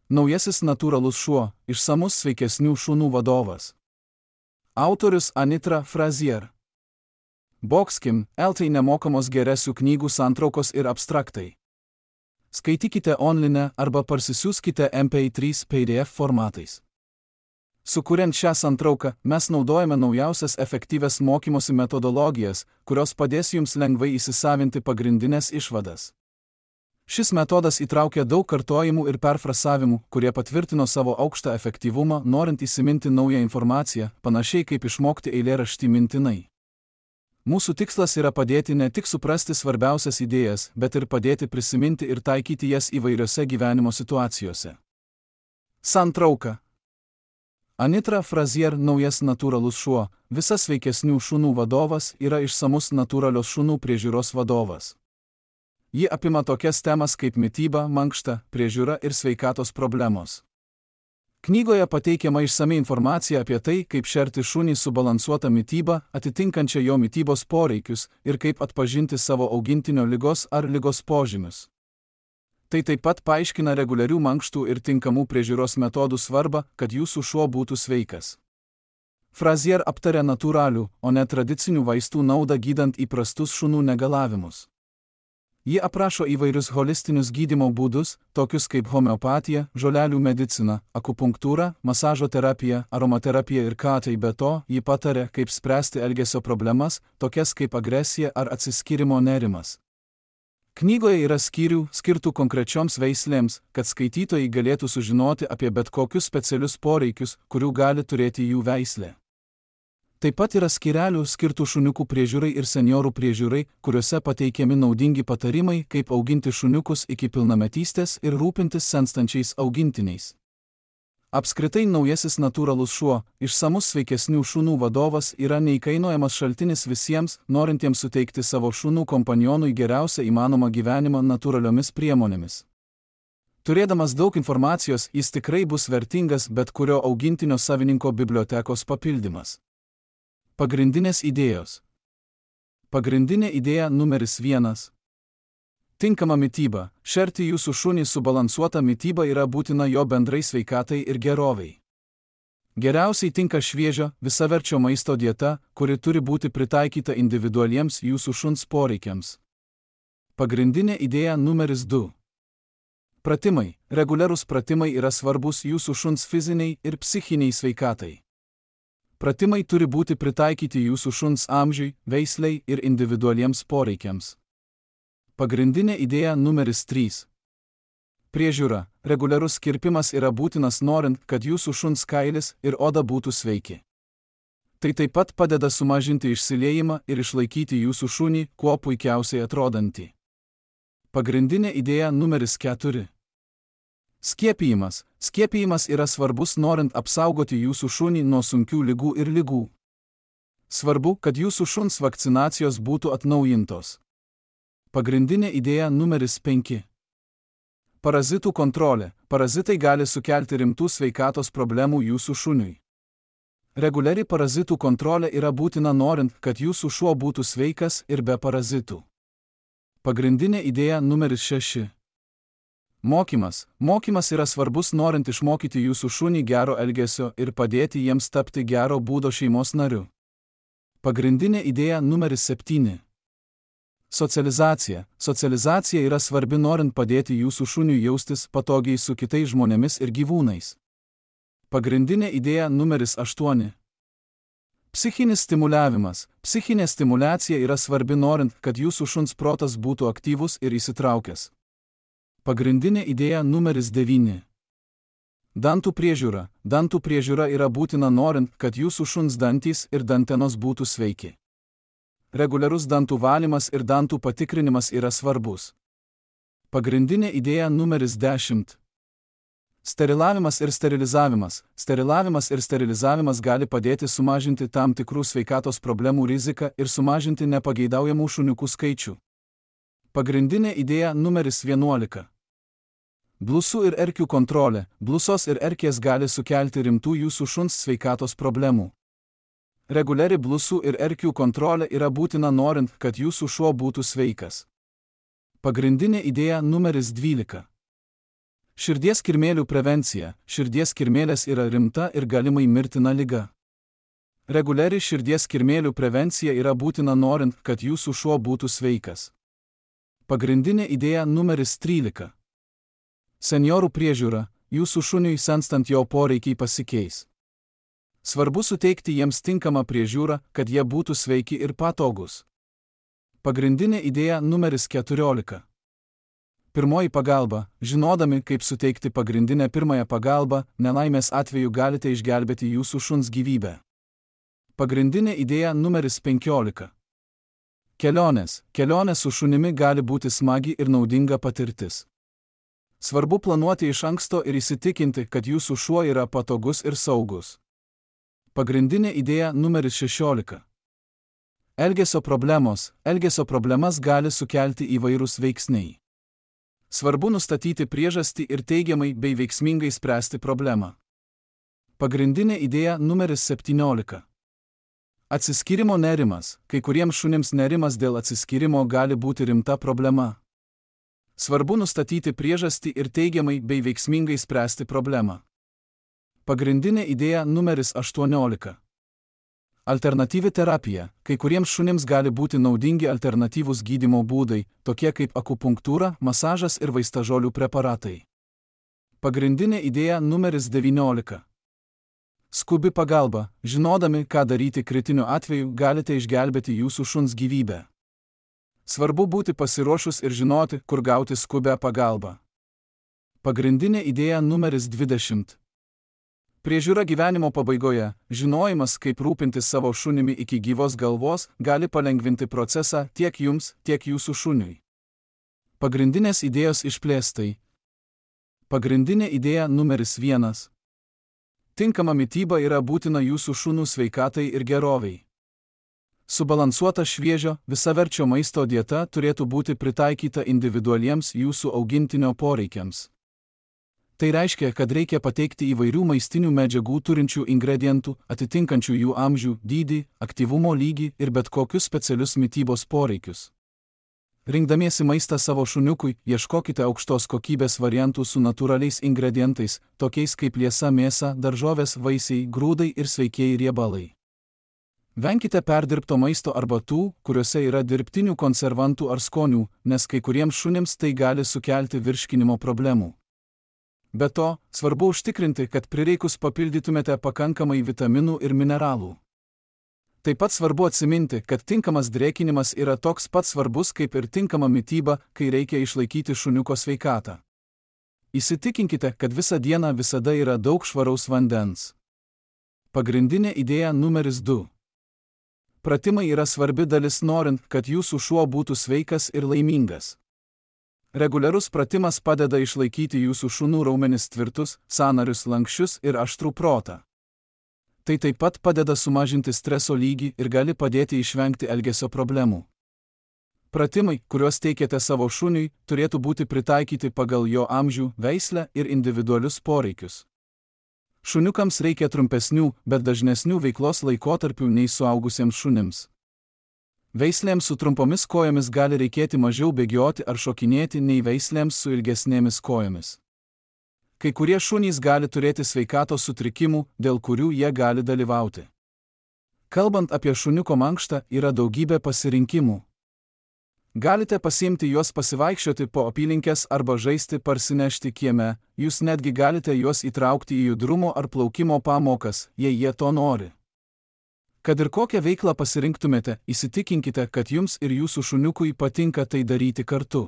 Naujasis natūralus šuo – išsamus sveikesnių šunų vadovas. Autorius Anitra Frazier. Boxkim, LT nemokamos geresių knygų santraukos ir abstraktai. Skaitykite online arba parsisiųskite MP3 PDF formatais. Sukuriant šią santrauką, mes naudojame naujausias efektyvias mokymosi metodologijas, kurios padės jums lengvai įsisavinti pagrindinės išvadas. Šis metodas įtraukia daug kartojimų ir perfrasavimų, kurie patvirtino savo aukštą efektyvumą, norint įsiminti naują informaciją, panašiai kaip išmokti eilėraštį mintinai. Mūsų tikslas yra padėti ne tik suprasti svarbiausias idėjas, bet ir padėti prisiminti ir taikyti jas įvairiose gyvenimo situacijose. Santrauka. Anitra Frazier naujas natūralus šuo, visas sveikesnių šunų vadovas yra išsamus natūralios šunų priežiūros vadovas. Ji apima tokias temas kaip mityba, mankšta, priežiūra ir sveikatos problemos. Knygoje pateikiama išsami informacija apie tai, kaip šerti šunį subalansuotą mitybą, atitinkančią jo mitybos poreikius ir kaip atpažinti savo augintinio ligos ar ligos požymius. Tai taip pat paaiškina reguliarių mankštų ir tinkamų priežiūros metodų svarbą, kad jūsų šuo būtų sveikas. Frazier aptarė natūralių, o ne tradicinių vaistų naudą gydant įprastus šunų negalavimus. Ji aprašo įvairius holistinius gydymo būdus, tokius kaip homeopatija, žolelių medicina, akupunktūra, masažo terapija, aromaterapija ir tai be to, ji patarė, kaip spręsti elgesio problemas, tokias kaip agresija ar atsiskyrimo nerimas. Knygoje yra skyrių, skirtų konkrečioms veislėms, kad skaitytojai galėtų sužinoti apie bet kokius specialius poreikius, kurių gali turėti jų veislė. Taip pat yra skyrelių skirtų šuniukų priežiūrai ir seniorų priežiūrai, kuriuose pateikiami naudingi patarimai, kaip auginti šuniukus iki pilnametystės ir rūpintis senstančiais augintiniais. Apskritai naujasis natūralus šuo, išsamus sveikesnių šunų vadovas yra neįkainojamas šaltinis visiems, norintiems suteikti savo šunų kompanionui geriausią įmanomą gyvenimą natūraliomis priemonėmis. Turėdamas daug informacijos, jis tikrai bus vertingas bet kurio augintinio savininko bibliotekos papildymas. Pagrindinės idėjos. Pagrindinė idėja numeris 1. Tinkama mityba. Šerti jūsų šunį subalansuota mityba yra būtina jo bendrai sveikatai ir gerovei. Geriausiai tinka šviežio, visaverčio maisto dieta, kuri turi būti pritaikyta individualiems jūsų šuns poreikiams. Pagrindinė idėja numeris 2. Pratimai. Reguliarūs pratimai yra svarbus jūsų šuns fiziniai ir psichiniai sveikatai. Pratimai turi būti pritaikyti jūsų šuns amžiui, veisliai ir individualiems poreikiams. Pagrindinė idėja numeris 3. Priežiūra. Reguliarus kirpimas yra būtinas norint, kad jūsų šuns kailis ir oda būtų sveiki. Tai taip pat padeda sumažinti išsiliejimą ir išlaikyti jūsų šunį kuo puikiausiai atrodantį. Pagrindinė idėja numeris 4. Skiepijimas. Skiepijimas yra svarbus norint apsaugoti jūsų šunį nuo sunkių ligų ir ligų. Svarbu, kad jūsų šuns vakcinacijos būtų atnaujintos. Pagrindinė idėja numeris 5. Parazitų kontrolė. Parazitai gali sukelti rimtų sveikatos problemų jūsų šuniui. Reguliari parazitų kontrolė yra būtina norint, kad jūsų šuo būtų sveikas ir be parazitų. Pagrindinė idėja numeris 6. Mokymas. Mokymas yra svarbus norint išmokyti jūsų šunį gero elgesio ir padėti jiems tapti gero būdo šeimos nariu. Pagrindinė idėja numeris 7. Socializacija. Socializacija yra svarbi norint padėti jūsų šuniui jaustis patogiai su kitais žmonėmis ir gyvūnais. Pagrindinė idėja numeris 8. Psichinis stimuliavimas. Psichinė stimulacija yra svarbi norint, kad jūsų šuns protas būtų aktyvus ir įsitraukęs. Pagrindinė idėja numeris 9. Dantų priežiūra. Dantų priežiūra yra būtina norint, kad jūsų šuns dantys ir dantenos būtų sveiki. Reguliarus dantų valymas ir dantų patikrinimas yra svarbus. Pagrindinė idėja numeris 10. Sterilavimas ir sterilizavimas. Sterilavimas ir sterilizavimas gali padėti sumažinti tam tikrų sveikatos problemų riziką ir sumažinti nepageidaujamų šuniukų skaičių. Pagrindinė idėja numeris 11. Blusų ir erkių kontrolė. Blusos ir erkės gali sukelti rimtų jūsų šuns sveikatos problemų. Reguliari blusų ir erkių kontrolė yra būtina norint, kad jūsų šuo būtų sveikas. Pagrindinė idėja numeris 12. Širdies kirmėlių prevencija. Širdies kirmėlės yra rimta ir galimai mirtina liga. Reguliari širdies kirmėlių prevencija yra būtina norint, kad jūsų šuo būtų sveikas. Pagrindinė idėja numeris 13. Senjorų priežiūra. Jūsų šuniui senstant jo poreikiai pasikeis. Svarbu suteikti jiems tinkamą priežiūrą, kad jie būtų sveiki ir patogus. Pagrindinė idėja numeris 14. Pirmoji pagalba. Žinodami, kaip suteikti pagrindinę pirmąją pagalbą, nelaimės atveju galite išgelbėti jūsų šuns gyvybę. Pagrindinė idėja numeris 15. Kelionės. Kelionė su šunimi gali būti smagi ir naudinga patirtis. Svarbu planuoti iš anksto ir įsitikinti, kad jūsų šuo yra patogus ir saugus. Pagrindinė idėja numeris 16. Elgesio problemos. Elgesio problemas gali sukelti įvairūs veiksniai. Svarbu nustatyti priežastį ir teigiamai bei veiksmingai spręsti problemą. Pagrindinė idėja numeris 17. Atsiskyrimo nerimas. Kai kuriems šunims nerimas dėl atsiskyrimo gali būti rimta problema. Svarbu nustatyti priežastį ir teigiamai bei veiksmingai spręsti problemą. Pagrindinė idėja numeris 18. Alternatyvi terapija. Kai kuriems šunims gali būti naudingi alternatyvūs gydymo būdai, tokie kaip akupunktūra, masažas ir vaistažolių preparatai. Pagrindinė idėja numeris 19. Skubi pagalba. Žinodami, ką daryti kritiniu atveju, galite išgelbėti jūsų šuns gyvybę. Svarbu būti pasiruošus ir žinoti, kur gauti skubią pagalbą. Pagrindinė idėja numeris 20. Priežiūra gyvenimo pabaigoje. Žinojimas, kaip rūpintis savo šunimi iki gyvos galvos, gali palengvinti procesą tiek jums, tiek jūsų šuniui. Pagrindinės idėjos išplėstai. Pagrindinė idėja numeris 1. Tinkama mityba yra būtina jūsų šunų sveikatai ir geroviai. Subalansuota šviežio, visaverčio maisto dieta turėtų būti pritaikyta individualiems jūsų augintinio poreikiams. Tai reiškia, kad reikia pateikti įvairių maistinių medžiagų turinčių ingredientų, atitinkančių jų amžių, dydį, aktyvumo lygį ir bet kokius specialius mitybos poreikius. Rinkdamiesi maistą savo šuniukui, ieškokite aukštos kokybės variantų su natūraliais ingredientais, tokiais kaip liesa mėsa, daržovės, vaisiai, grūdai ir sveikieji riebalai. Venkite perdirbto maisto arba tų, kuriuose yra dirbtinių konservantų ar skonių, nes kai kuriems šunims tai gali sukelti virškinimo problemų. Be to, svarbu užtikrinti, kad prireikus papildytumėte pakankamai vitaminų ir mineralų. Taip pat svarbu atsiminti, kad tinkamas drėkinimas yra toks pat svarbus kaip ir tinkama mityba, kai reikia išlaikyti šuniuko sveikatą. Įsitikinkite, kad visą dieną visada yra daug švaraus vandens. Pagrindinė idėja numeris 2. Pratimai yra svarbi dalis norint, kad jūsų šuo būtų sveikas ir laimingas. Reguliarus pratimas padeda išlaikyti jūsų šunų raumenis tvirtus, sąnarius lanksčius ir aštrų protą. Tai taip pat padeda sumažinti streso lygį ir gali padėti išvengti elgesio problemų. Pratimai, kuriuos teikiate savo šuniui, turėtų būti pritaikyti pagal jo amžių, veislę ir individualius poreikius. Šuniukams reikia trumpesnių, bet dažnesnių veiklos laikotarpių nei suaugusiems šunims. Veislėms su trumpomis kojomis gali reikėti mažiau bėgioti ar šokinėti nei veislėms su ilgesnėmis kojomis. Kai kurie šunys gali turėti sveikatos sutrikimų, dėl kurių jie gali dalyvauti. Kalbant apie šuniuko mankštą, yra daugybė pasirinkimų. Galite pasiimti juos pasivaikščioti po apylinkes arba žaisti parsinešti kieme, jūs netgi galite juos įtraukti į judrumo ar plaukimo pamokas, jei jie to nori. Kad ir kokią veiklą pasirinktumėte, įsitikinkite, kad jums ir jūsų šuniukui patinka tai daryti kartu.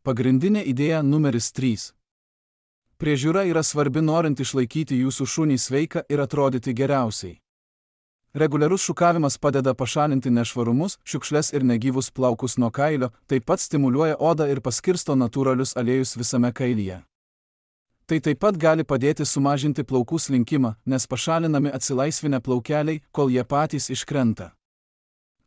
Pagrindinė idėja numeris 3. Priežiūra yra svarbi norint išlaikyti jūsų šunį sveiką ir atrodyti geriausiai. Reguliarus šukavimas padeda pašalinti nešvarumus, šiukšles ir negyvus plaukus nuo kailio, taip pat stimuliuoja odą ir paskirsto natūralius aliejus visame kailyje. Tai taip pat gali padėti sumažinti plaukų slinkimą, nes pašalinami atsilaisvinę plaukeliai, kol jie patys iškrenta.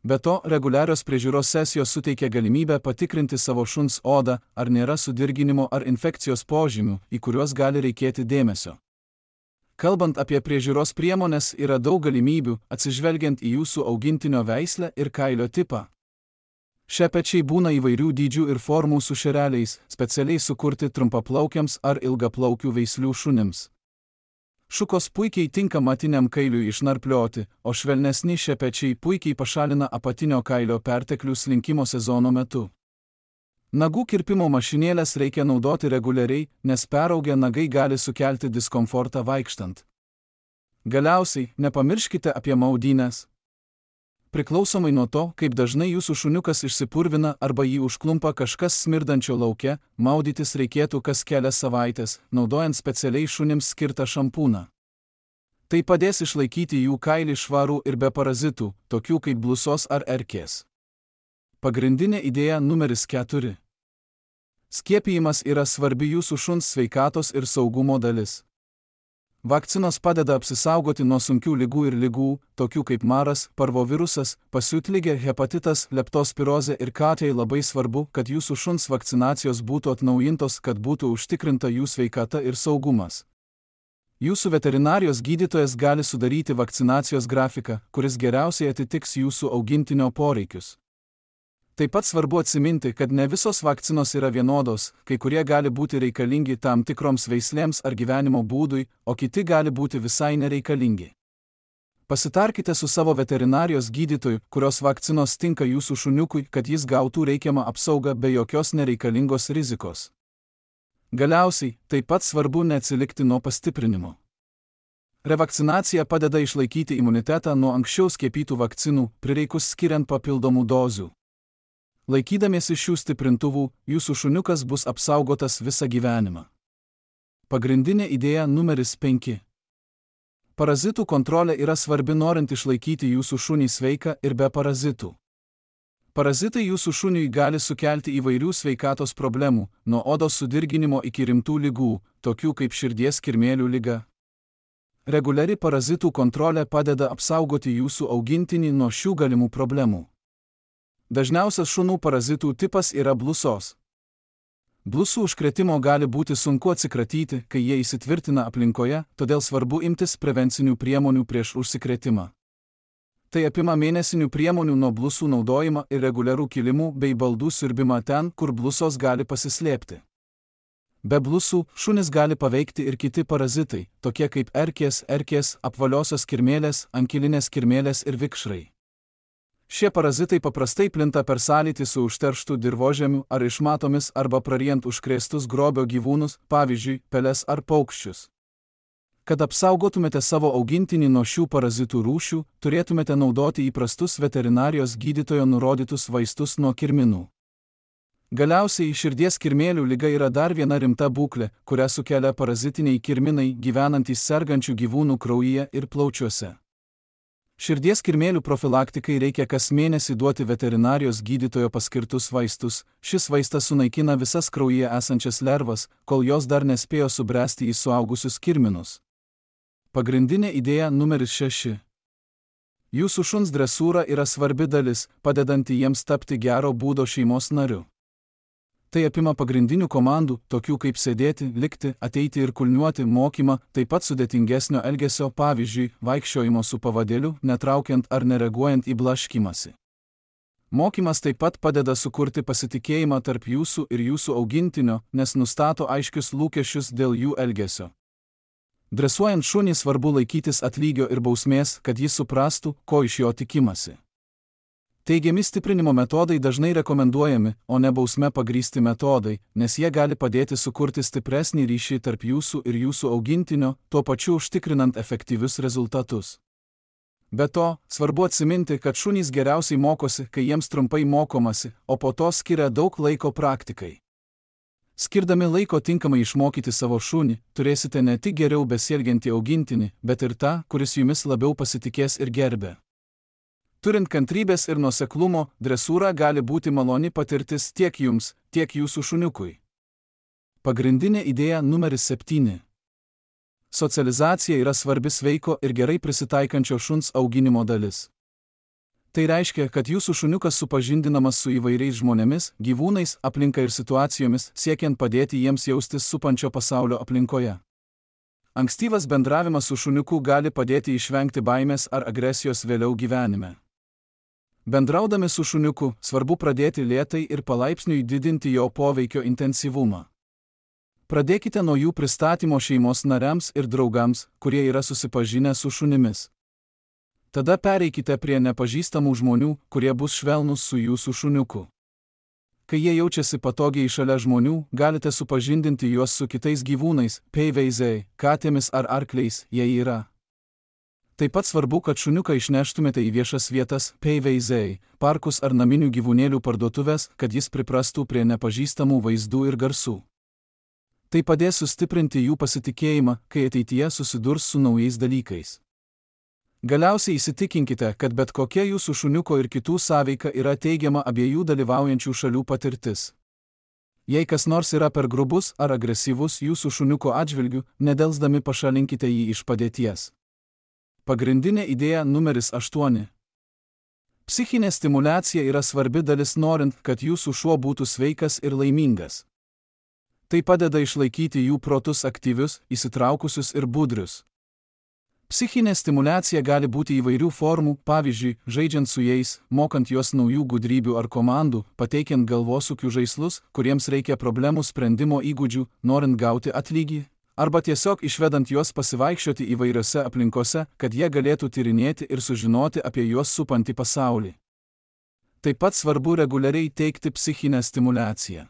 Be to, reguliarios priežiūros sesijos suteikia galimybę patikrinti savo šuns odą, ar nėra sudirginimo ar infekcijos požymių, į kuriuos gali reikėti dėmesio. Kalbant apie priežiūros priemones, yra daug galimybių, atsižvelgiant į jūsų augintinio veislę ir kailio tipą. Šepečiai būna įvairių dydžių ir formų su šereliais, specialiai sukurti trumpaplaukiams ar ilgaplaukių veislių šunims. Šukos puikiai tinka matiniam kailiui išnarplioti, o švelnesni šepečiai puikiai pašalina apatinio kailio perteklių slinkimo sezono metu. Nagų kirpimo mašinėlės reikia naudoti reguliariai, nes peraugę nagai gali sukelti diskomfortą vaikštant. Galiausiai, nepamirškite apie maudynes. Priklausomai nuo to, kaip dažnai jūsų šuniukas išsipurvina arba jį užklumpa kažkas smirdančio lauke, maudytis reikėtų kas kelias savaitės, naudojant specialiai šunims skirtą šampūną. Tai padės išlaikyti jų kailį švarų ir be parazitų, tokių kaip blusos ar erkės. Pagrindinė idėja numeris 4. Skiepijimas yra svarbi jūsų šuns sveikatos ir saugumo dalis. Vakcinos padeda apsisaugoti nuo sunkių ligų ir ligų, tokių kaip maras, parvovirusas, pasiutligė, hepatitas, leptospirozė ir katei. Labai svarbu, kad jūsų šuns vakcinacijos būtų atnaujintos, kad būtų užtikrinta jų sveikata ir saugumas. Jūsų veterinarijos gydytojas gali sudaryti vakcinacijos grafiką, kuris geriausiai atitiks jūsų augintinio poreikius. Taip pat svarbu atsiminti, kad ne visos vakcinos yra vienodos, kai kurie gali būti reikalingi tam tikroms veislėms ar gyvenimo būdui, o kiti gali būti visai nereikalingi. Pasitarkite su savo veterinarijos gydytoju, kurios vakcinos tinka jūsų šuniukui, kad jis gautų reikiamą apsaugą be jokios nereikalingos rizikos. Galiausiai, taip pat svarbu neatsilikti nuo pastiprinimo. Revakcinacija padeda išlaikyti imunitetą nuo anksčiau skiepytų vakcinų, prireikus skiriant papildomų dozių. Laikydamiesi šių stiprintuvų, jūsų šuniukas bus apsaugotas visą gyvenimą. Pagrindinė idėja numeris 5. Parazitų kontrolė yra svarbi norint išlaikyti jūsų šunį sveiką ir be parazitų. Parazitai jūsų šuniui gali sukelti įvairių sveikatos problemų, nuo odos sudirginimo iki rimtų ligų, tokių kaip širdies kirmėlių liga. Reguliari parazitų kontrolė padeda apsaugoti jūsų augintinį nuo šių galimų problemų. Dažniausias šunų parazitų tipas yra blusos. Blusų užkrėtimo gali būti sunku atsikratyti, kai jie įsitvirtina aplinkoje, todėl svarbu imtis prevencinių priemonių prieš užsikrėtimą. Tai apima mėnesinių priemonių nuo blusų naudojimą ir reguliarų kilimų bei baldų siurbimą ten, kur blusos gali pasislėpti. Be blusų, šunis gali paveikti ir kiti parazitai, tokie kaip erkės, apvaliosios kirmėlės, ankilinės kirmėlės ir vikšrai. Šie parazitai paprastai plinta per sąlytį su užterštu dirvožemiu ar išmatomis arba praryjant užkrėstus grobio gyvūnus, pavyzdžiui, peles ar paukščius. Kad apsaugotumėte savo augintinį nuo šių parazitų rūšių, turėtumėte naudoti įprastus veterinarijos gydytojo nurodytus vaistus nuo kirminų. Galiausiai širdies kirmėlių liga yra dar viena rimta būklė, kurią sukelia parazitiniai kirminai gyvenantys sergančių gyvūnų kraujyje ir plaučiuose. Širdies kirmėlių profilaktikai reikia kas mėnesį duoti veterinarijos gydytojo paskirtus vaistus. Šis vaistas sunaikina visas kraujyje esančias lervas, kol jos dar nespėjo subręsti į suaugusius kirminus. Pagrindinė idėja numeris 6. Jūsų šuns dresūra yra svarbi dalis, padedanti jiems tapti gero būdo šeimos nariu. Tai apima pagrindinių komandų, tokių kaip sėdėti, likti, ateiti ir kulniuoti mokymą, taip pat sudėtingesnio elgesio, pavyzdžiui, vaikščiojimo su pavadėliu, netraukiant ar nereaguojant į blaškymąsi. Mokymas taip pat padeda sukurti pasitikėjimą tarp jūsų ir jūsų augintinio, nes nustato aiškius lūkesčius dėl jų elgesio. Dresuojant šunį svarbu laikytis atlygio ir bausmės, kad jis suprastų, ko iš jo tikimasi. Teigiami stiprinimo metodai dažnai rekomenduojami, o ne bausme pagrįsti metodai, nes jie gali padėti sukurti stipresnį ryšį tarp jūsų ir jūsų augintinio, tuo pačiu užtikrinant efektyvius rezultatus. Be to, svarbu atsiminti, kad šunys geriausiai mokosi, kai jiems trumpai mokomasi, o po to skiria daug laiko praktikai. Skirdami laiko tinkamai išmokyti savo šunį, turėsite ne tik geriau besielgiantį augintinį, bet ir tą, kuris jumis labiau pasitikės ir gerbė. Turint kantrybės ir nuoseklumo, dresūra gali būti maloni patirtis tiek jums, tiek jūsų šuniukui. Pagrindinė idėja numeris 7. Socializacija yra svarbi sveiko ir gerai prisitaikančio šuns auginimo dalis. Tai reiškia, kad jūsų šuniukas supažindinamas su įvairiais žmonėmis, gyvūnais, aplinka ir situacijomis, siekiant padėti jiems jaustis supančio pasaulio aplinkoje. Ankstyvas bendravimas su šuniuku gali padėti išvengti baimės ar agresijos vėliau gyvenime. Bendraudami su šuniuku, svarbu pradėti lėtai ir palaipsniui didinti jo poveikio intensyvumą. Pradėkite nuo jų pristatymo šeimos nariams ir draugams, kurie yra susipažinę su šunimis. Tada pereikite prie nepažįstamų žmonių, kurie bus švelnūs su jūsų šuniuku. Kai jie jaučiasi patogiai šalia žmonių, galite supažindinti juos su kitais gyvūnais, peiveiziai, katėmis ar arkliais, jei yra. Taip pat svarbu, kad šuniuką išneštumėte į viešas vietas, peiveiziai, parkus ar naminių gyvūnėlių parduotuvės, kad jis priprastų prie nepažįstamų vaizdų ir garsų. Tai padės sustiprinti jų pasitikėjimą, kai ateityje susidurs su naujais dalykais. Galiausiai įsitikinkite, kad bet kokia jūsų šuniuko ir kitų sąveika yra teigiama abiejų dalyvaujančių šalių patirtis. Jei kas nors yra per grubus ar agresyvus jūsų šuniuko atžvilgiu, nedelsdami pašalinkite jį iš padėties. Pagrindinė idėja numeris 8. Psichinė stimuliacija yra svarbi dalis norint, kad jūsų šuo būtų sveikas ir laimingas. Tai padeda išlaikyti jų protus aktyvius, įsitraukusius ir budrius. Psichinė stimuliacija gali būti įvairių formų, pavyzdžiui, žaidžiant su jais, mokant juos naujų gudrybių ar komandų, pateikiant galvosūkių žaislus, kuriems reikia problemų sprendimo įgūdžių, norint gauti atlygį, arba tiesiog išvedant juos pasivaikščioti įvairiose aplinkose, kad jie galėtų tyrinėti ir sužinoti apie juos supantį pasaulį. Taip pat svarbu reguliariai teikti psichinę stimuliaciją.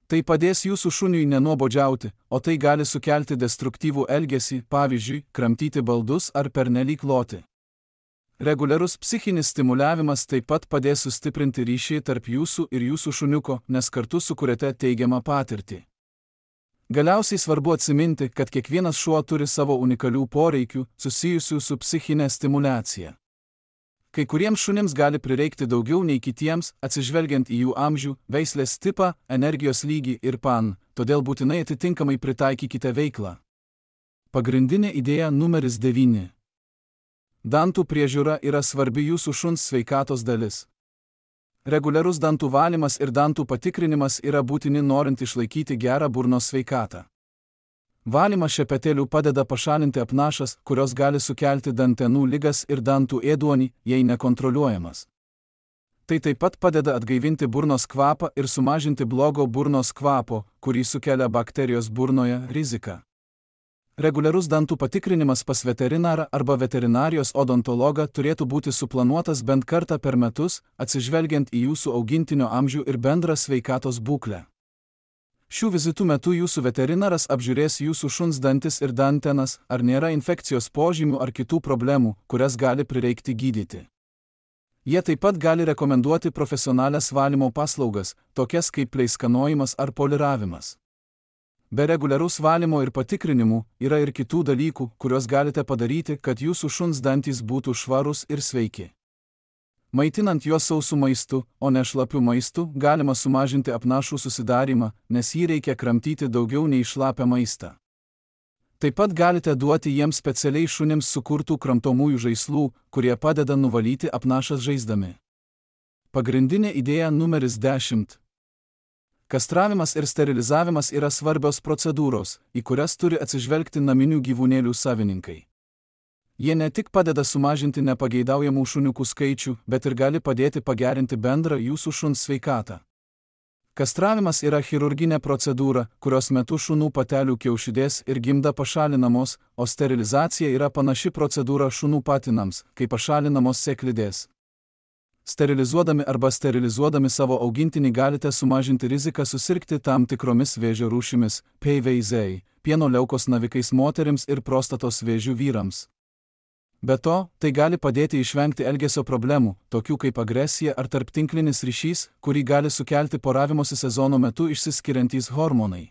Tai padės jūsų šuniui nenuobodžiauti, o tai gali sukelti destruktyvų elgesį, pavyzdžiui, kramtyti baldus ar pernelyg loti. Reguliarus psichinis stimuliavimas taip pat padės sustiprinti ryšį tarp jūsų ir jūsų šuniuko, nes kartu sukuriate teigiamą patirtį. Galiausiai svarbu atsiminti, kad kiekvienas šuo turi savo unikalių poreikių, susijusių su psichinė stimuliacija. Kai kuriems šunims gali prireikti daugiau nei kitiems, atsižvelgiant į jų amžių, veislės tipą, energijos lygį ir todėl būtinai atitinkamai pritaikykite veiklą. Pagrindinė idėja numeris 9. Dantų priežiūra yra svarbi jūsų šuns sveikatos dalis. Reguliarus dantų valymas ir dantų patikrinimas yra būtini norint išlaikyti gerą burnos sveikatą. Valymas šepetėlių padeda pašalinti apnašas, kurios gali sukelti dantenų ligas ir dantų ėduonį, jei nekontroliuojamas. Tai taip pat padeda atgaivinti burnos kvapą ir sumažinti blogo burnos kvapo, kurį sukelia bakterijos burnoje, riziką. Reguliarus dantų patikrinimas pas veterinarą arba veterinarijos odontologą turėtų būti suplanuotas bent kartą per metus, atsižvelgiant į jūsų augintinio amžių ir bendrą sveikatos būklę. Šių vizitų metu jūsų veterinaras apžiūrės jūsų šuns dantis ir dantenas, ar nėra infekcijos požymių ar kitų problemų, kurias gali prireikti gydyti. Jie taip pat gali rekomenduoti profesionalias valymo paslaugas, tokias kaip pleiskanojimas ar poliravimas. Be reguliarus valymo ir patikrinimų, yra ir kitų dalykų, kuriuos galite padaryti, kad jūsų šuns dantys būtų švarūs ir sveiki. Maitinant juos sausų maistu, o ne šlapiu maistu, galima sumažinti apnašų susidarimą, nes jį reikia kramtyti daugiau nei šlapią maistą. Taip pat galite duoti jiems specialiai šunims sukurtų kramtomųjų žaislų, kurie padeda nuvalyti apnašas žaisdami. Pagrindinė idėja numeris 10. Kastravimas ir sterilizavimas yra svarbios procedūros, į kurias turi atsižvelgti naminių gyvūnėlių savininkai. Jie ne tik padeda sumažinti nepageidaujamų šuniukų skaičių, bet ir gali padėti pagerinti bendrą jūsų šuns sveikatą. Kastravimas yra chirurginė procedūra, kurios metu šunų patelių kiaušidės ir gimda pašalinamos, o sterilizacija yra panaši procedūra šunų patinams, kai pašalinamos sėklidės. Sterilizuodami arba sterilizuodami savo augintinį galite sumažinti riziką susirgti tam tikromis vėžio rūšimis, peiveiziai, pieno leukos navikais moterims ir prostatos vėžių vyrams. Be to, tai gali padėti išvengti elgesio problemų, tokių kaip agresija ar tarptinklinis ryšys, kurį gali sukelti poravimosi sezono metu išsiskiriantys hormonai.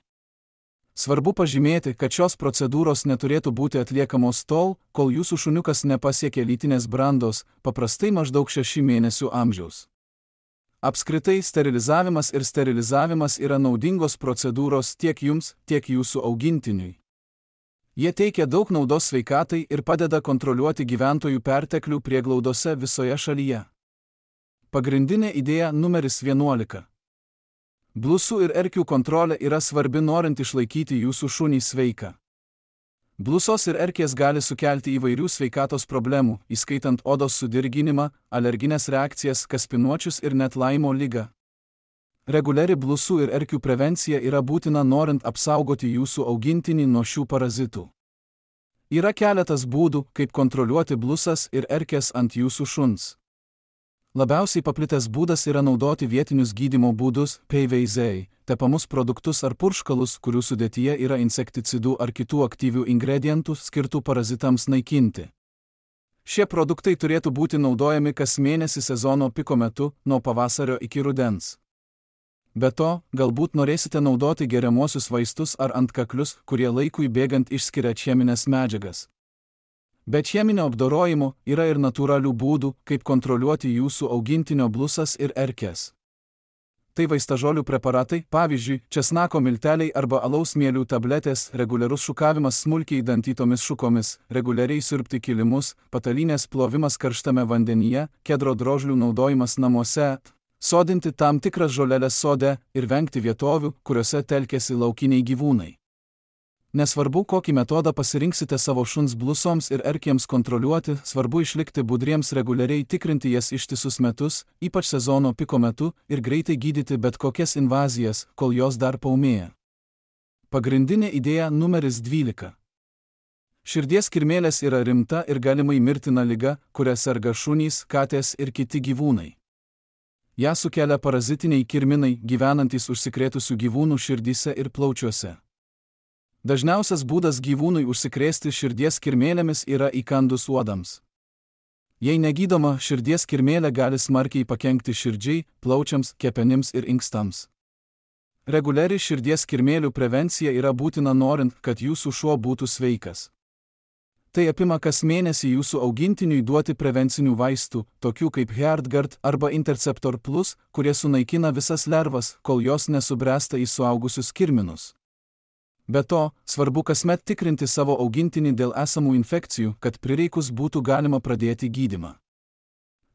Svarbu pažymėti, kad šios procedūros neturėtų būti atliekamos tol, kol jūsų šuniukas nepasiekė lytinės brandos, paprastai maždaug 6 mėnesių amžiaus. Apskritai, sterilizavimas yra naudingos procedūros tiek jums, tiek jūsų augintiniui. Jie teikia daug naudos sveikatai ir padeda kontroliuoti gyventojų perteklių prieglaudose visoje šalyje. Pagrindinė idėja numeris 11. Blusų ir erkių kontrolė yra svarbi norint išlaikyti jūsų šunį sveiką. Blusos ir erkės gali sukelti įvairių sveikatos problemų, įskaitant odos sudirginimą, alergines reakcijas, kaspinuočius ir net Laimo ligą. Reguliari blusų ir erkių prevencija yra būtina norint apsaugoti jūsų augintinį nuo šių parazitų. Yra keletas būdų, kaip kontroliuoti blusas ir erkės ant jūsų šuns. Labiausiai paplitęs būdas yra naudoti vietinius gydymo būdus, PVZ, tepamus produktus ar purškalus, kurių sudėtyje yra insekticidų ar kitų aktyvių ingredientų skirtų parazitams naikinti. Šie produktai turėtų būti naudojami kas mėnesį sezono piko metu, nuo pavasario iki rudens. Be to, galbūt norėsite naudoti geriamuosius vaistus ar antkaklius, kurie laikui bėgant išskiria cheminės medžiagas. Be cheminio apdorojimo yra ir natūralių būdų, kaip kontroliuoti jūsų augintinio blusas ir erkės. Tai vaistažolių preparatai, pavyzdžiui, česnako milteliai arba alaus mielių tabletės, reguliarus šukavimas smulkiai dantytomis šukomis, reguliariai siurbti kilimus, patalynės plovimas karštame vandenyje, kedro drožlių naudojimas namuose, sodinti tam tikras žoleles sode ir vengti vietovių, kuriuose telkiasi laukiniai gyvūnai. Nesvarbu, kokį metodą pasirinksite savo šuns blusoms ir erkėms kontroliuoti, svarbu išlikti budriems, reguliariai tikrinti jas ištisus metus, ypač sezono piko metu, ir greitai gydyti bet kokias invazijas, kol jos dar paūmėja. Pagrindinė idėja numeris 12. Širdies kirmėlės yra rimta ir galimai mirtina liga, kuria serga šunys, katės ir kiti gyvūnai. Ja sukelia parazitiniai kirminai, gyvenantys užsikrėtusių gyvūnų širdyse ir plaučiuose. Dažniausias būdas gyvūnui užsikrėsti širdies kirmėlėmis yra įkandus uodams. Jei negydoma, širdies kirmėlė gali smarkiai pakenkti širdžiai, plaučiams, kepenims ir inkstams. Reguliari širdies kirmėlių prevencija yra būtina norint, kad jūsų šuo būtų sveikas. Tai apima kas mėnesį jūsų augintiniui duoti prevencinių vaistų, tokių kaip HeartGard arba Interceptor Plus, kurie sunaikina visas lervas, kol jos nesubręsta į suaugusius kirminus. Be to, svarbu kasmet tikrinti savo augintinį dėl esamų infekcijų, kad prireikus būtų galima pradėti gydymą.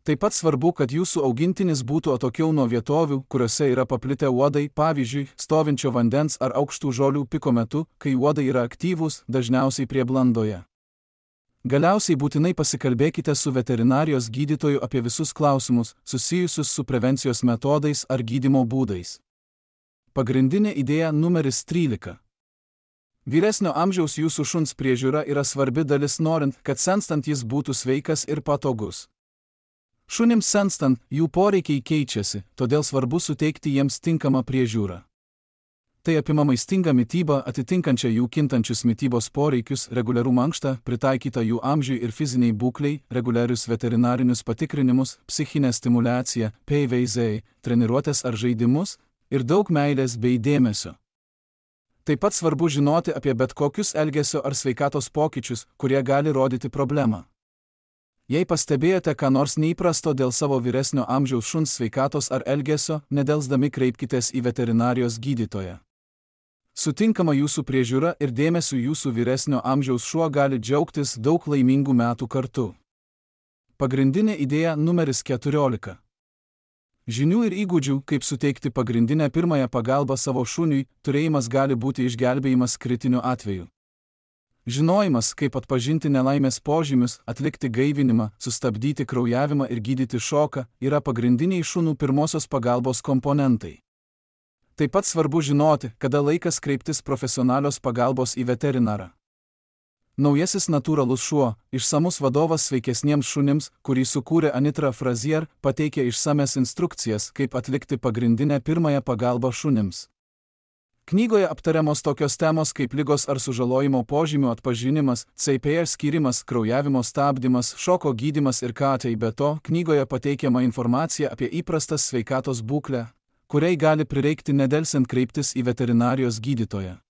Taip pat svarbu, kad jūsų augintinis būtų atokiau nuo vietovių, kuriuose yra paplitę uodai, pavyzdžiui, stovinčio vandens ar aukštų žolių piko metu, kai uodai yra aktyvūs, dažniausiai prie blandoje. Galiausiai būtinai pasikalbėkite su veterinarijos gydytoju apie visus klausimus, susijusius su prevencijos metodais ar gydymo būdais. Pagrindinė idėja numeris 13. Vyresnio amžiaus jūsų šuns priežiūra yra svarbi dalis norint, kad senstant jis būtų sveikas ir patogus. Šunims senstant, jų poreikiai keičiasi, todėl svarbu suteikti jiems tinkamą priežiūrą. Tai apima maistingą mitybą, atitinkančią jų kintančius mitybos poreikius, reguliarų mankštą, pritaikytą jų amžiui ir fiziniai būklei, reguliarius veterinarinius patikrinimus, psichinę stimulaciją, PVZ, treniruotės ar žaidimus ir daug meilės bei dėmesio. Taip pat svarbu žinoti apie bet kokius elgesio ar sveikatos pokyčius, kurie gali rodyti problemą. Jei pastebėjote ką nors neįprasto dėl savo vyresnio amžiaus šuns sveikatos ar elgesio, nedelsdami kreipkitės į veterinarijos gydytoją. Sutinkama jūsų priežiūra ir dėmesiu jūsų vyresnio amžiaus šuo gali džiaugtis daug laimingų metų kartu. Pagrindinė idėja numeris 14. Žinių ir įgūdžių, kaip suteikti pagrindinę pirmąją pagalbą savo šuniui, turėjimas gali būti išgelbėjimas kritiniu atveju. Žinojimas, kaip atpažinti nelaimės požymius, atlikti gaivinimą, sustabdyti kraujavimą ir gydyti šoką, yra pagrindiniai šunų pirmosios pagalbos komponentai. Taip pat svarbu žinoti, kada laikas kreiptis profesionalios pagalbos į veterinarą. Naujasis natūralus šuo, išsamus vadovas sveikesniems šunims, kurį sukūrė Anitra Frazier, pateikė išsames instrukcijas, kaip atlikti pagrindinę pirmąją pagalbą šunims. Knygoje aptariamos tokios temos kaip ligos ar sužalojimo požymių atpažinimas, CPR skyrimas, kraujavimo stabdymas, šoko gydymas ir KT. Be to, knygoje pateikiama informacija apie įprastas sveikatos būklę, kuriai gali prireikti nedelsiant kreiptis į veterinarijos gydytoją.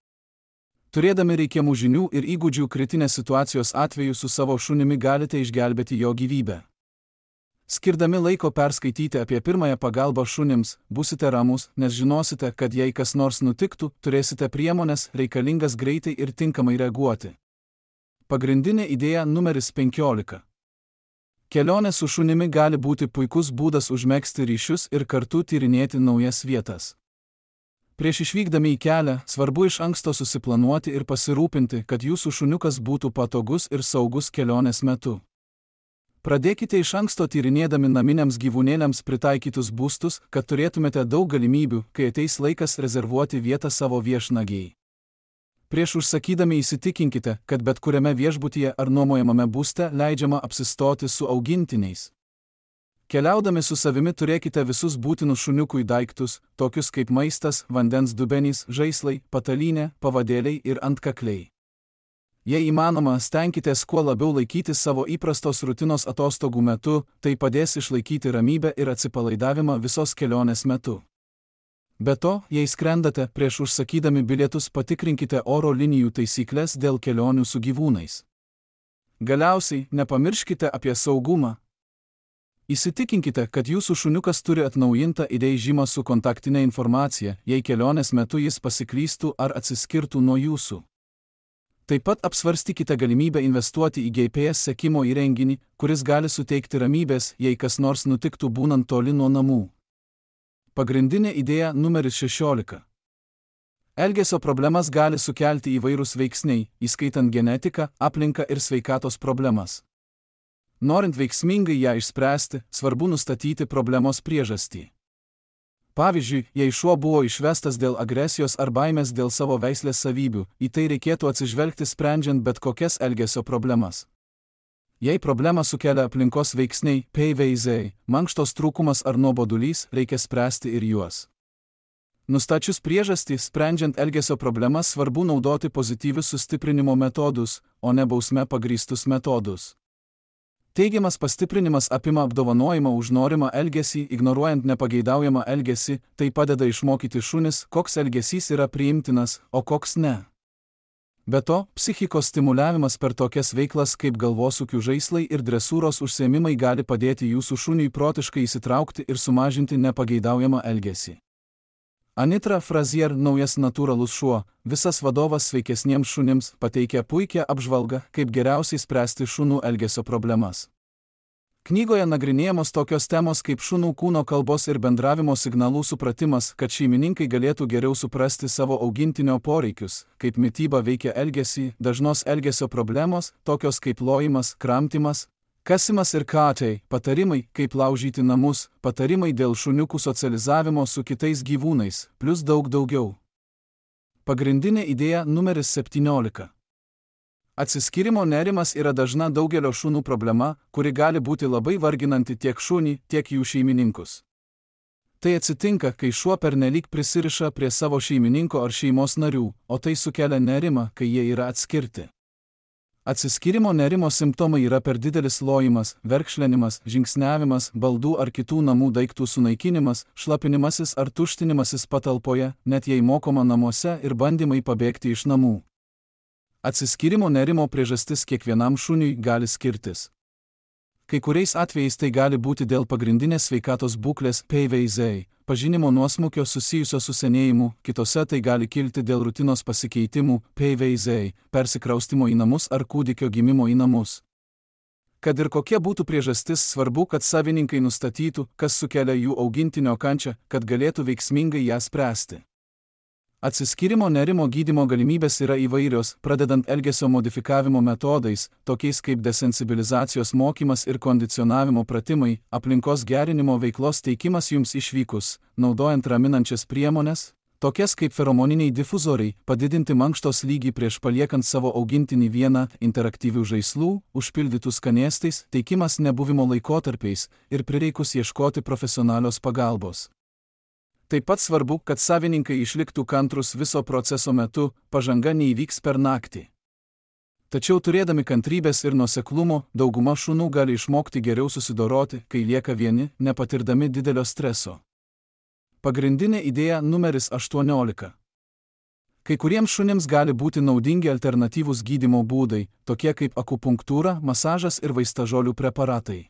Turėdami reikiamų žinių ir įgūdžių kritinės situacijos atveju su savo šunimi galite išgelbėti jo gyvybę. Skirdami laiko perskaityti apie pirmąją pagalbą šunims, būsite ramus, nes žinosite, kad jei kas nors nutiktų, turėsite priemones reikalingas greitai ir tinkamai reaguoti. Pagrindinė idėja numeris 15. Kelionė su šunimi gali būti puikus būdas užmegzti ryšius ir kartu tyrinėti naujas vietas. Prieš išvykdami į kelią, svarbu iš anksto susiplanuoti ir pasirūpinti, kad jūsų šuniukas būtų patogus ir saugus kelionės metu. Pradėkite iš anksto tyrinėdami naminiams gyvūnėliams pritaikytus būstus, kad turėtumėte daug galimybių, kai ateis laikas rezervuoti vietą savo viešnagiai. Prieš užsakydami įsitikinkite, kad bet kuriame viešbutyje ar nuomojamame būste leidžiama apsistoti su augintiniais. Keliaudami su savimi turėkite visus būtinus šuniukui daiktus, tokius kaip maistas, vandens dubenys, žaislai, patalynė, pavadėliai ir antkakliai. Jei įmanoma, stenkitės kuo labiau laikytis savo įprastos rutinos atostogų metu, tai padės išlaikyti ramybę ir atsipalaidavimą visos kelionės metu. Be to, jei skrendate, prieš užsakydami bilietus patikrinkite oro linijų taisyklės dėl kelionių su gyvūnais. Galiausiai, nepamirškite apie saugumą. Įsitikinkite, kad jūsų šuniukas turi atnaujintą įdėjimą su kontaktinė informacija, jei kelionės metu jis pasiklystų ar atsiskirtų nuo jūsų. Taip pat apsvarstykite galimybę investuoti į GPS sekimo įrenginį, kuris gali suteikti ramybės, jei kas nors nutiktų būnant toli nuo namų. Pagrindinė idėja numeris 16. Elgesio problemas gali sukelti įvairūs veiksniai, įskaitant genetiką, aplinką ir sveikatos problemas. Norint veiksmingai ją išspręsti, svarbu nustatyti problemos priežastį. Pavyzdžiui, jei šuo buvo išvestas dėl agresijos ar baimės dėl savo veislės savybių, į tai reikėtų atsižvelgti sprendžiant bet kokias elgesio problemas. Jei problemą sukelia aplinkos veiksniai, PVZ, mankštos trūkumas ar nuobodulys, reikia spręsti ir juos. Nustačius priežastį, sprendžiant elgesio problemas, svarbu naudoti pozityvius sustiprinimo metodus, o ne bausme pagrįstus metodus. Teigiamas pastiprinimas apima apdovanojimą už norimą elgesį, ignoruojant nepageidaujamą elgesį, tai padeda išmokyti šunis, koks elgesys yra priimtinas, o koks ne. Be to, psichikos stimuliavimas per tokias veiklas kaip galvosūkių žaislai ir dresūros užsiėmimai gali padėti jūsų šuniui protiškai įsitraukti ir sumažinti nepageidaujamą elgesį. Anitra Frazier, naujas natūralus šuo, visas vadovas sveikesniems šunims, pateikia puikią apžvalgą, kaip geriausiai spręsti šunų elgesio problemas. Knygoje nagrinėjamos tokios temos kaip šunų kūno kalbos ir bendravimo signalų supratimas, kad šeimininkai galėtų geriau suprasti savo augintinio poreikius, kaip mityba veikia elgesį, dažnos elgesio problemos, tokios kaip lojimas, kramtymas, kasimas ir katei, patarimai, kaip laužyti namus, patarimai dėl šuniukų socializavimo su kitais gyvūnais, plus daug daugiau. Pagrindinė idėja numeris 17. Atsiskyrimo nerimas yra dažna daugelio šunų problema, kuri gali būti labai varginanti tiek šunį, tiek jų šeimininkus. Tai atsitinka, kai šuo pernelyg prisiriša prie savo šeimininko ar šeimos narių, o tai sukelia nerimą, kai jie yra atskirti. Atsiskyrimo nerimo simptomai yra per didelis lojimas, verkšlenimas, žingsniavimas, baldų ar kitų namų daiktų sunaikinimas, šlapinimasis ar tuštinimasis patalpoje, net jei mokoma namuose ir bandymai pabėgti iš namų. Atsiskyrimo nerimo priežastis kiekvienam šuniui gali skirtis. Kai kuriais atvejais tai gali būti dėl pagrindinės sveikatos būklės PVZ, pažinimo nuosmukio susijusio su senėjimu, kitose tai gali kilti dėl rutinos pasikeitimų PVZ, persikraustimo į namus ar kūdikio gimimo į namus. Kad ir kokia būtų priežastis, svarbu, kad savininkai nustatytų, kas sukelia jų augintinio kančią, kad galėtų veiksmingai ją spręsti. Atsiskyrimo nerimo gydymo galimybės yra įvairios, pradedant elgesio modifikavimo metodais, tokiais kaip desensibilizacijos mokymas ir kondicionavimo pratimai, aplinkos gerinimo veiklos teikimas jums išvykus, naudojant raminančias priemones, tokias kaip feromoniniai difuzoriai, padidinti mankštos lygį prieš paliekant savo augintinį vieną, interaktyvių žaislų, užpildytų skanėstais, teikimas nebuvimo laikotarpiais ir prireikus ieškoti profesionalios pagalbos. Taip pat svarbu, kad savininkai išliktų kantrus viso proceso metu, pažanga neįvyks per naktį. Tačiau turėdami kantrybės ir nuoseklumo, dauguma šunų gali išmokti geriau susidoroti, kai lieka vieni, nepatirdami didelio streso. Pagrindinė idėja numeris 18. Kai kuriems šunims gali būti naudingi alternatyvūs gydymo būdai, tokie kaip akupunktūra, masažas ir vaistažolių preparatai.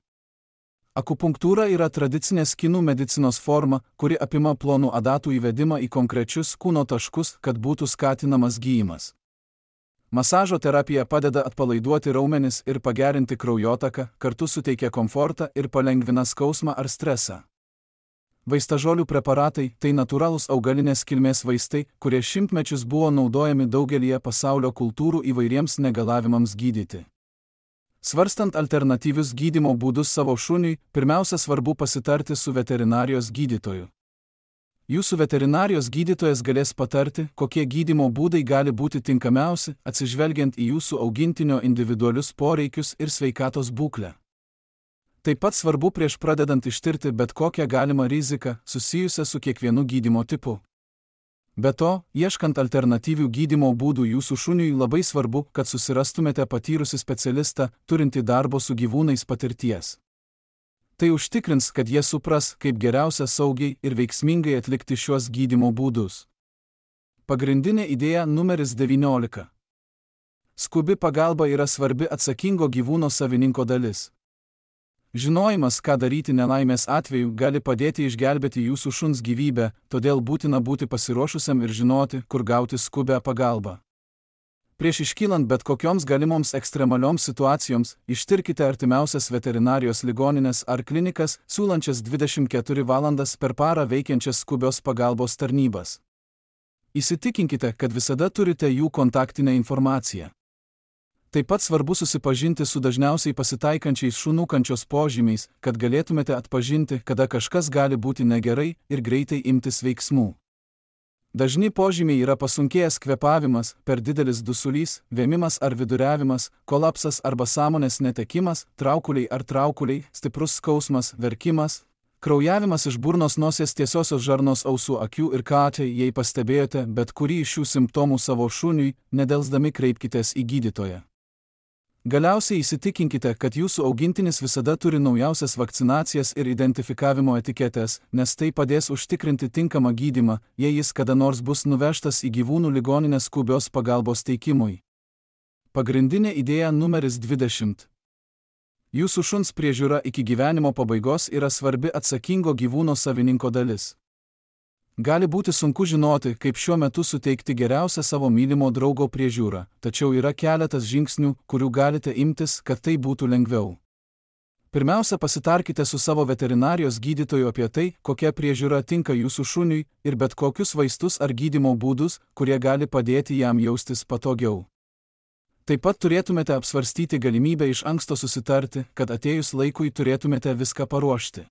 Akupunktūra yra tradicinės kinų medicinos forma, kuri apima plonų adatų įvedimą į konkrečius kūno taškus, kad būtų skatinamas gyjimas. Masažo terapija padeda atpalaiduoti raumenis ir pagerinti kraujotaką, kartu suteikia komfortą ir palengvina skausmą ar stresą. Vaistažolių preparatai – tai natūralūs augalinės kilmės vaistai, kurie šimtmečius buvo naudojami daugelyje pasaulio kultūrų įvairiems negalavimams gydyti. Svarstant alternatyvius gydymo būdus savo šuniui, pirmiausia svarbu pasitarti su veterinarijos gydytoju. Jūsų veterinarijos gydytojas galės patarti, kokie gydymo būdai gali būti tinkamiausi, atsižvelgiant į jūsų augintinio individualius poreikius ir sveikatos būklę. Taip pat svarbu prieš pradedant ištirti bet kokią galimą riziką susijusią su kiekvienu gydymo tipu. Be to, ieškant alternatyvių gydymo būdų jūsų šuniui labai svarbu, kad susirastumėte patyrusį specialistą, turintį darbo su gyvūnais patirties. Tai užtikrins, kad jie supras, kaip geriausia saugiai ir veiksmingai atlikti šiuos gydymo būdus. Pagrindinė idėja numeris 19. Skubi pagalba yra svarbi atsakingo gyvūno savininko dalis. Žinojimas, ką daryti nelaimės atveju, gali padėti išgelbėti jūsų šuns gyvybę, todėl būtina būti pasiruošusiam ir žinoti, kur gauti skubią pagalbą. Prieš iškylant bet kokioms galimoms ekstremalioms situacijoms, ištirkite artimiausias veterinarijos ligoninės ar klinikas, siūlančias 24 valandas per parą veikiančias skubios pagalbos tarnybas. Įsitikinkite, kad visada turite jų kontaktinę informaciją. Taip pat svarbu susipažinti su dažniausiai pasitaikančiais šunų kančios požymiais, kad galėtumėte atpažinti, kada kažkas gali būti negerai ir greitai imtis veiksmų. Dažni požymiai yra pasunkėjęs kvėpavimas, per didelis dusulys, vėmimas ar viduriavimas, kolapsas arba sąmonės netekimas, traukuliai ar traukuliai, stiprus skausmas, verkimas, kraujavimas iš burnos, nosies, tiesiosios žarnos, ausų, akių ir katė. Jei pastebėjote bet kurį iš šių simptomų savo šuniui, nedelsdami kreipkitės į gydytoją. Galiausiai įsitikinkite, kad jūsų augintinis visada turi naujausias vakcinacijas ir identifikavimo etiketes, nes tai padės užtikrinti tinkamą gydymą, jei jis kada nors bus nuvežtas į gyvūnų ligoninę skubios pagalbos teikimui. Pagrindinė idėja numeris 20. Jūsų šuns priežiūra iki gyvenimo pabaigos yra svarbi atsakingo gyvūno savininko dalis. Gali būti sunku žinoti, kaip šiuo metu suteikti geriausią savo mylimo draugo priežiūrą, tačiau yra keletas žingsnių, kurių galite imtis, kad tai būtų lengviau. Pirmiausia, pasitarkite su savo veterinarijos gydytoju apie tai, kokia priežiūra tinka jūsų šuniui ir bet kokius vaistus ar gydymo būdus, kurie gali padėti jam jaustis patogiau. Taip pat turėtumėte apsvarstyti galimybę iš anksto susitarti, kad atėjus laikui turėtumėte viską paruošti.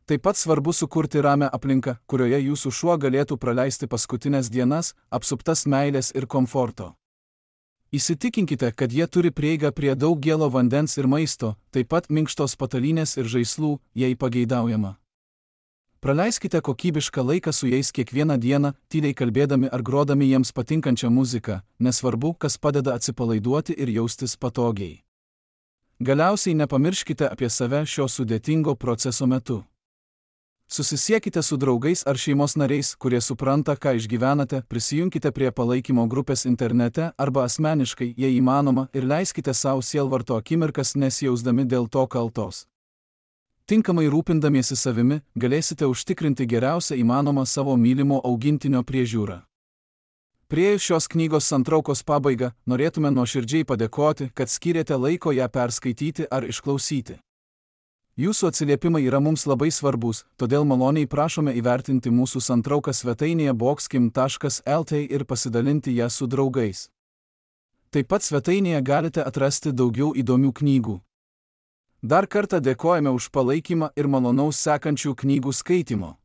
Taip pat svarbu sukurti ramią aplinką, kurioje jūsų šuo galėtų praleisti paskutinės dienas, apsuptas meilės ir komforto. Įsitikinkite, kad jie turi prieigą prie daug gėlo vandens ir maisto, taip pat minkštos patalynės ir žaislų, jei pageidaujama. Praleiskite kokybišką laiką su jais kiekvieną dieną, tyliai kalbėdami ar grodami jiems patinkančią muziką, nesvarbu, kas padeda atsipalaiduoti ir jaustis patogiai. Galiausiai nepamirškite apie save šio sudėtingo proceso metu. Susisiekite su draugais ar šeimos nariais, kurie supranta, ką išgyvenate, prisijunkite prie palaikymo grupės internete arba asmeniškai, jei įmanoma, ir leiskite savo sielvarto akimirkas nesijausdami dėl to kaltos. Tinkamai rūpindamiesi savimi, galėsite užtikrinti geriausią įmanomą savo mylimo augintinio priežiūrą. Priėjus šios knygos santraukos pabaigą, norėtume nuoširdžiai padėkoti, kad skyrėte laiko ją perskaityti ar išklausyti. Jūsų atsiliepimai yra mums labai svarbus, todėl maloniai prašome įvertinti mūsų santrauką svetainėje boxkim.lt ir pasidalinti ją su draugais. Taip pat svetainėje galite atrasti daugiau įdomių knygų. Dar kartą dėkojame už palaikymą ir malonaus sekančių knygų skaitimo.